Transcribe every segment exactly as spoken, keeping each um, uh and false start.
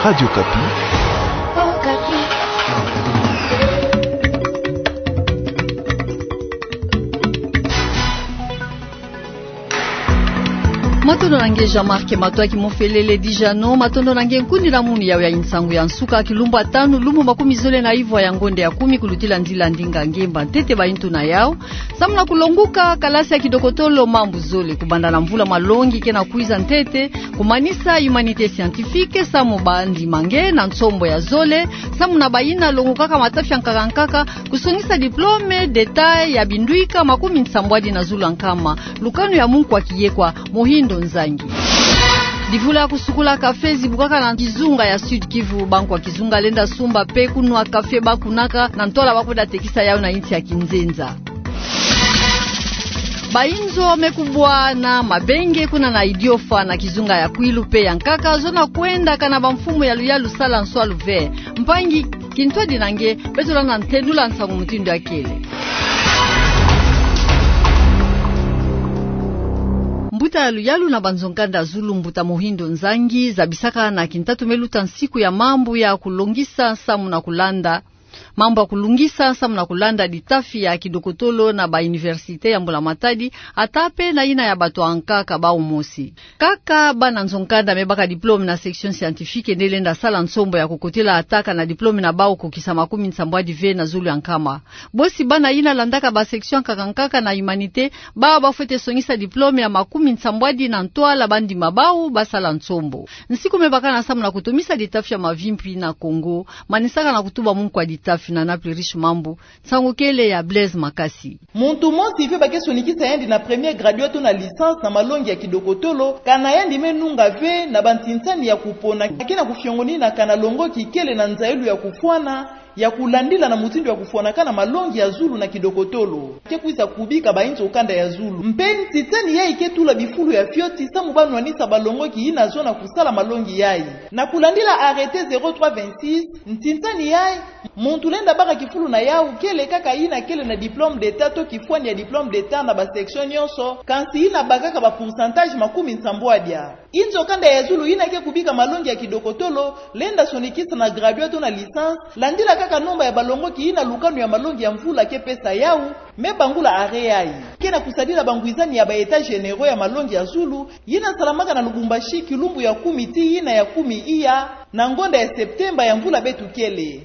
Radio Kapi. Matondo na nge Jean-Marc Matoa Kimofelele Dijano, matondo na nge nkundi na munu yawe ya nsangu ya nsuka, kilumbu ya tanu, lumbu makumi zole na ivwa ya ngonde ya kumi kulutila nzila ndinga ngemba. Ntete bayi ntu na yau. Samu na kulonguka kalasi ya kidokotolo mambu zole, kubanda na mvula malongi ke na kwiza ntete, kumanisa humanité scientifique, samu bandi ma nge na nsombo ya zole, samu na bayina longukaka matafi ya nkaka nkaka, kusongisa diplôme d'État ya bindwika makumi nsambwadi na zulu ya nkama, lukanu ya munkwa kiyekwa Mohindo Nzangi. Divula ya kusukula café zibukaka na kizunga ya Sud-Kivu, bankwa kizunga lenda sumba pe kunwa café ba kunaka na ntwala ba kwenda tekisa yau na insi ya kinzenza. Bayinzo me kubwa na mabenge kuna na Idiofa na kizunga ya Kwilu pe ya nkaka, zo na kwenda kana bamfumu ya luyalu sala nswalu ve. Mpangi, kintwadi na nge, beto landa ntendula nsangu mutindu ya kele. Mbuta ya luyalu na banzo-nkanda zulu, mbuta Mohindo Nzangi, zabisaka na kintatu me luta nsiku ya mambu ya kulongisa samu na kulanda, mambu ya kulungisa samu na kulanda ditafi ya kidokotolo na ba université ya Mbula Matadi, ata pe na yina ya bato ya nkaka bau mosi. Kaka bana nzo-nkanda me baka diplôme na section scientifique nde lenda sala nsombo ya kukotela ata kana diplôme na bau kukisa makumi nsambwadi ve na zulu ya nkama. Bosi bana yina landaka ba section nkaka nkaka na humanité, bau ba fwete songisa diplôme ya makumi nsambwadi na ntwala ba ndima bau ba sala nsombo. Nsiku me baka na samu na kutomisa ditafi ya mavimpi na Kongo, manisaka na kutuba munkwa ditafi na Naples Riche Mambu, nsangu kele ya Blaise Makasi. Muntu mosi ve ba ke sonikisa yandi na premier graduat to na licence na malongi ya kidokotolo, kana yandi me nunga ve na bantinsani ya kupona ke na kufiongonina kana longoki kele na nzailu ya kufwana, ya kulandila na mutindu ya kufwanaka na malongi ya zulu na kidokotolo, ke kwiza kubika bayinzo-kanda ya zulu. Mpe ntinsani yayi ke tula bifulu ya fioti samu ba nwanisa balongoki yina zo na kusala malongi yayi. Na kulandila arrêté zéro trois vingt-six, ntinsani yayi, muntu lenda baka kifulu na yau kele kaka yina kele na diplôme d'État to kifwani ya diplôme d'État na ba section nyonso, kansi yina bakaka ba pourcentage makumi nsambwadia. Yinzo-kanda ya zulu yina ke kubika malongi ya kidokotolo, lenda sonikisa na graduat to na licence, landila kaka nomba ya balongoki yina lukanu ya malongi ya mvula ke pesa yau, me bangula arrêt yayi. Ke na kusadila bangwizani ya ba états généraux ya malongi ya zulu, yina salamaka na Lubumbashi kilumbu ya kumi tii yina ya kumi iya na ngonda ya septembre ya mvula beto kele.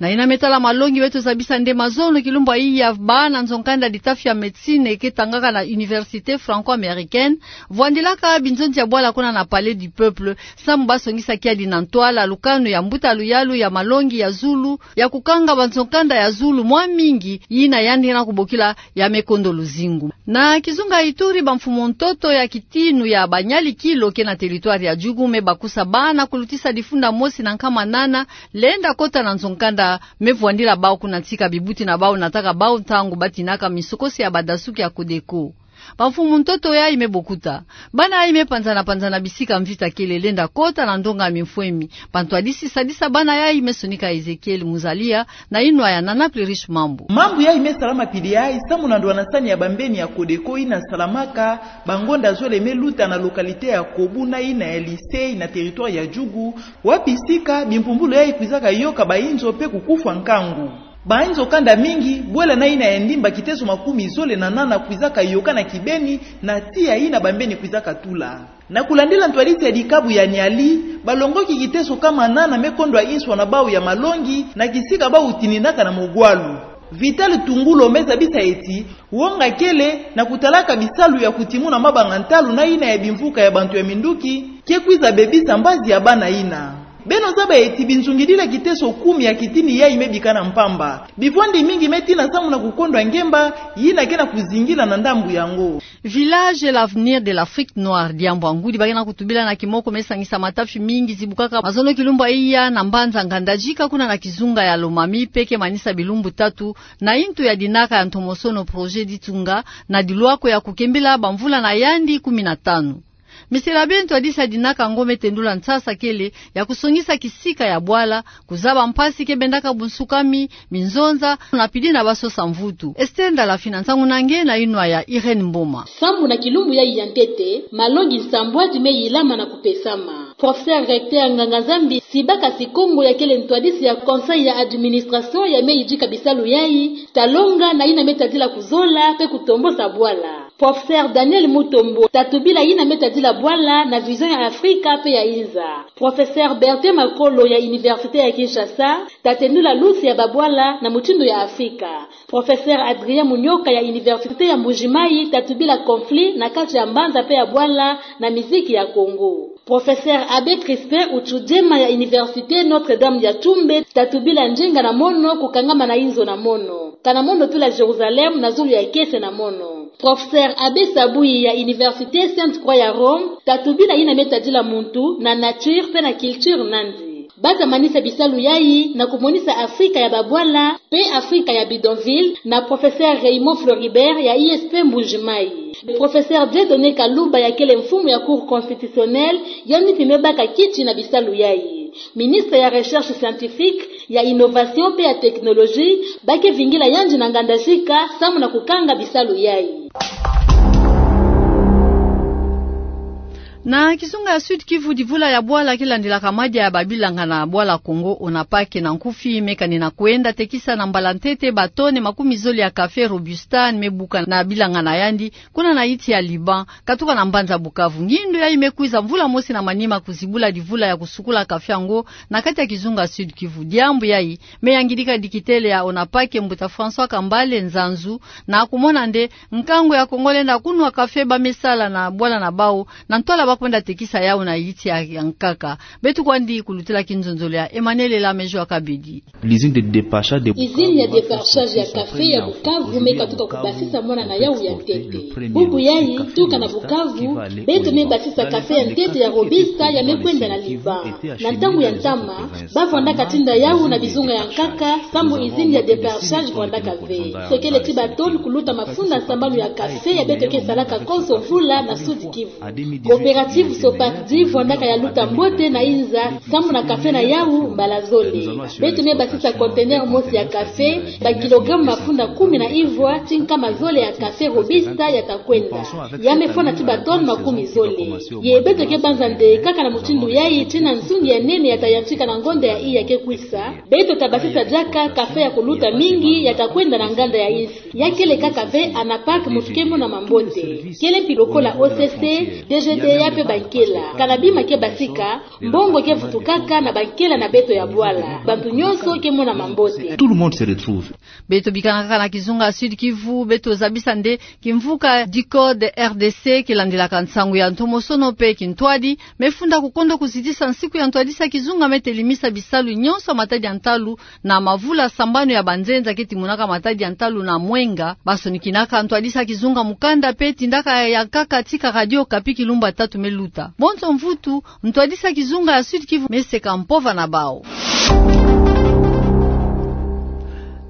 Na yina me tala malongi, beto zabisa nde mazono kilumbu iya bana nzo-nkanda ditafi ya médecine ke tangaka na Université Franco-Américaine, vwandilaka binzonzi ya bwala kuna na Palais du Peuple, samu ba songisa kiadi na ntwala lukanu ya mbuta luyalu ya malongi ya zulu, ya kukanga banzo-nkanda ya zulu mwa mingi, yina yandi na kubokila ya me kondo luzingu. Na kizunga Ituri, bamfumu-ntoto ya kitinu ya Banyalikilo ke na territoire ya Djugu me bakusa bana kulutisa difunda mosi na nkama nana, lenda kota na nzo-nkanda, me vwandila bau kuna ntika bibuti na bau nataka bau ntangu ba tinaka misokosi ya badasuki ya Codeco. Bamfumu-ntoto yayi me bokuta. Bana yayi me panzana-panzana bisika mvita kele, lenda kota na ndonga mimfwemi. Bantwadisi sadisa bana yayi me sonika Ezekiel Muzalia na yinwa ya Naples Riche Mambu. Mambu yayi me salama pili yayi samu na ndwanasani ya bambeni ya Codeco yina salamaka bangonda zole me luta na localité ya Kobu na yina ya Lisei na territoire ya Djugu, wapi sika bimpumbulu yayi kwizaka yoka bayinzo mpe kukufwa nkangu. Bayinzo-kanda mingi, bwela na yina ya ndimba kiteso makumi zole na nana kwizaka yoka na kibeni na tiya yina bambeni kwizaka tula. Na kulandila ntwadisi ya dikabu ya Niali, balongoki kiteso nkama nana me kondwa nswa na bau ya malongi na kisika bau tininaka na mogwalu. Vital Tungulo me zabisa eti, wonga kele na kutalaka bisalu ya kutimuna mabanga-ntalu na yina ya bimvuka ya bantu ya minduki, ke kwiza bebisa mbazi ya bana yina. Beno zaba eti binzungidila kiteso kumi ya kitini yayi me bikana mpamba. Bivwandi mingi me tina samu na kukondwa ngemba yina ke na kuzingila na ndambu yango. Village L'Avenir de l'Afrique Noire, diambu ya ngudi ba ke na kutubila na kimoko, me sangisa matafi mingi zibukaka mazono kilumbu iya na mbanza Ngandajika kuna na kizunga ya Lomami, mpe ke manisa bilumbu tatu na yintu ya dinaka ya ntomosono Projet Ditunga na dilwako ya kukembila bamvula na yandi kumi na tanu. Misela bento ntwadisa dinaka ngo me tendula nsasa kele ya kusongisa kisika ya bwala, kuzaba mpasi ke bendaka bunsukami, minzonza, na pidi na basosa mvutu. Esther Ndalafina, nsangu na nge na inwa ya Irène Mboma. Sambu na kilumbu yayi ya ntete, malongi nsambwadi me yilama na kupesama. Professeur recteur Nganga Nzambi Sibaka Sikongo ya kele ntwadisi ya conseil ya administration ya me yidika bisalu yayi, ta longa na yina me tadila kuzola pe kutombosa bwala. Professeur Daniel Mutombo ta tubila yina me tadila bwala na vision ya Afrika pe ya inza. Professeur Bertin Makolo ya Université ya Kinshasa ta tendula lusi ya babwala na mutindu ya Afrika. Professeur Adrien Munyoka ya Université ya Mbuji-Mayi ta tubila conflit na kati ya mbanza pe ya bwala na miziki ya Congo. Professeur Abbé Crispin Utsudjema ya Université Notre-Dame ya Toumbe ta tubila njenga na mono kukangama na inzo na mono, kana mono tula Jérusalem na zulu ya kese na mono. Professeur Abbé Sabuyi ya Université Sainte-Croix ya Rome ta tubila yina me tadila muntu na nature pe na culture nandi. Ba ta manisa bisalu yayi na kumonisa Afrika ya babwala pe Afrika ya bidonville na Professeur Raymond Floribert ya I S P Mbuji-Mayi. Professeur Dieudonné Kaluba ya kele mfumu ya Cour constitutionnelle, yandi mpi me baka kiti na bisalu yayi. Ministre ya Recherche scientifique, ya Innovation pe ya Technologie, ba ke vingila yandi na nganda zika samu na kukanga bisalu yayi. Na kizunga ya Sud-Kivu, divula ya bwala ke landilaka madia ya babilanga na bwala Congo, ONAPAK, na nkufi me kanina kwenda tekisa na mbala ntete ba tone makumi zole ya café Robusta me buka na bilanga na yandi kuna na yiti ya Liban, katuka na mbanza Bukavu. Ngindu yayi me kwiza mvula mosi na manima kuzibula divula ya kusukula café yango na kati ya kizunga Sud-Kivu. Diambu yayi me yangidika dikitele ya ONAPAK, mbuta François Kambale Nzanzu, na kumona nde nkangu ya Congo lenda kunwa café ba me sala na bwala na bawu, na ntwala ba kwenda tekisa yawu na yiti ya, ya nkaka. Beto kwandi kulutila kinzonzolo ya Emmanuel Elamejo Akabedi. L'usine de déparchage de Izini ya déparchage ya café ya Bukavu me katuka kubasisa mwana na yawu ya ntete. Bubu yayi, tuka na Bukavu, beto me basisa café ya ntete ya Robusta ya me kwenda na Liban. Na ntangu ya ntama, ba vwandaka tinda yawu na bizunga ya nkaka, sambu izini ya déparchage vwandaka ve. Sokele ti ba tone kuluta mafunda sambanu ya café ya beto ke salaka konso mvula na Sud-Kivu. Coopérative Sopacdi vwandaka ya luta mbote na inza, sambu na café na yawu mbala zole. Beto me basisa conteneur mosi ya café, ba kilogramme mafunda kumi na ivwa, ti nkama zole ya café Robusta ya ta kwenda. Ya me fwana ti ba tone makumi zole. Ye beto ke banza nde kaka na mutindu yayi, tina nzungi ya nene ya ta yantika na ngonda ya iya ke kwisa. Beto ta basisa diaka café ya kuluta mingi ya ta kwenda na nganda ya insi. Ya kele kaka ve ONAPAK muntu ke mona mambote. Kele mpi lokola O C C, D G D A pe bankela. Kana bima ke basika, mbongo ke vutukaka na bankela na beto ya bwala. Bantu nyonso ke mona mambote. Tout le monde se retrouve. Beto bikana kaka na kizunga Sud-Kivu, beto zabisa nde kimvuka DICODE R D C, kilandilaka nsangu ya ntomosono pe kintwadi, me funda kukondo kuzitisa nsiku ya ntwadisa kizunga me telimisa bisalu nyonso ya matadi ya ntalu na mavula sambanu ya banzenza ke timonaka matadi ya ntalu na mwenga. Ba sonikinaka ntwadisa kizunga mukanda pe tindaka ya nkaka tika Radio Okapi kilumbu tatu me luta. Bonso mvutu, ntwadisa kizunga ya Sud-Kivu me seka mpova na bawu.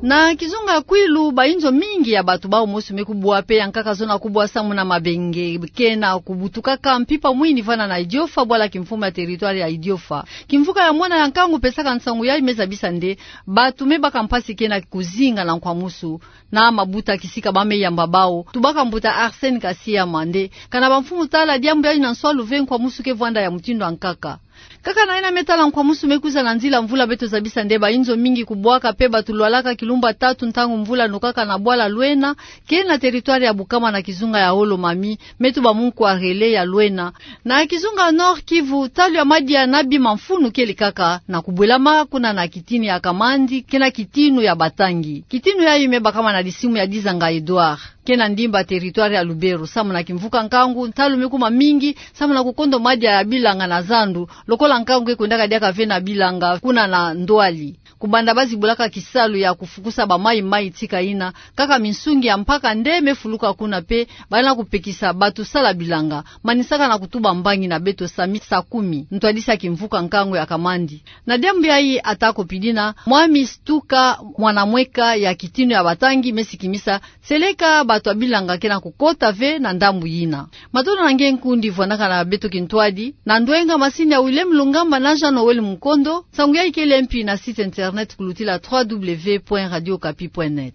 Na kizunga ya Kwilu, bayinzo mingi ya bato bawu mosi me kubwa pe ya nkaka zona kubwa samu na mabenge ke na kubutukaka mpimpa mwini vana na Idiofa, bwala kimfumu ya territoire ya Idiofa. Kimvuka ya mwana ya nkangu pesaka nsangu yayi me zabisa nde bato me baka mpasi ke na kuzinga na nkwamusu na mabuta kisika ba me yamba bawu. Tubaka mbuta Arsène Kasiama nde kana bamfumu tala diambu yayi na nswalu ve nkwamusu ke vwanda ya mutindu ya nkaka. Kaka na yina me tala nkwamusu me kwiza na nzila mvula, beto zabisa nde bayinzo mingi kubwaka pe bato lwalaka kilumbu tatu ntangu mvula nokaka na bwala Lwena, ke na territoire ya Bukama na kizunga ya Haut-Lomami, me tuba mu nkwarele ya Lwena. Na kizunga Nord-Kivu, ntalu ya madia na bima mfunu kele kaka na kubwelama kuna na kitini ya Kamandi, ke na kitinu ya Batangi. Kitinu yayi me bakama na disimu ya Dizanga Edouard, ke na ndimba territoire ya Lubero. Samu na kimvuka nkangu, ntalu me kuma mingi samu na kukondo madia ya bilanga na zandu, lokola nkangu ke kwendaka diaka ve na bilanga kuna na Ndwali. Kubanda ba zibulaka kisalu ya kufukusa bamayi-mayi tika yina, kaka minsungi ya mpaka nde me fuluka kuna pe banda kupekisa bato sala bilanga, manisaka na kutuba mbangi na beto sami sakumi, ntwadisa kimvuka nkangu ya Kamandi. Na diambu yayi ata ko pidina, Mwami Stuka Mwanamweka ya kitinu ya Batangi me sikimisa, seleka bato ya bilanga ke na kukota ve na ndambu yina. Matondo na nge nkundi vwanakana beto kintwadi, na ndwenga masini ya William Lungamba na Jean Noël Mukondo, nsangu ya ikele mpi na site internet kulutila trois W point radio okapi point net.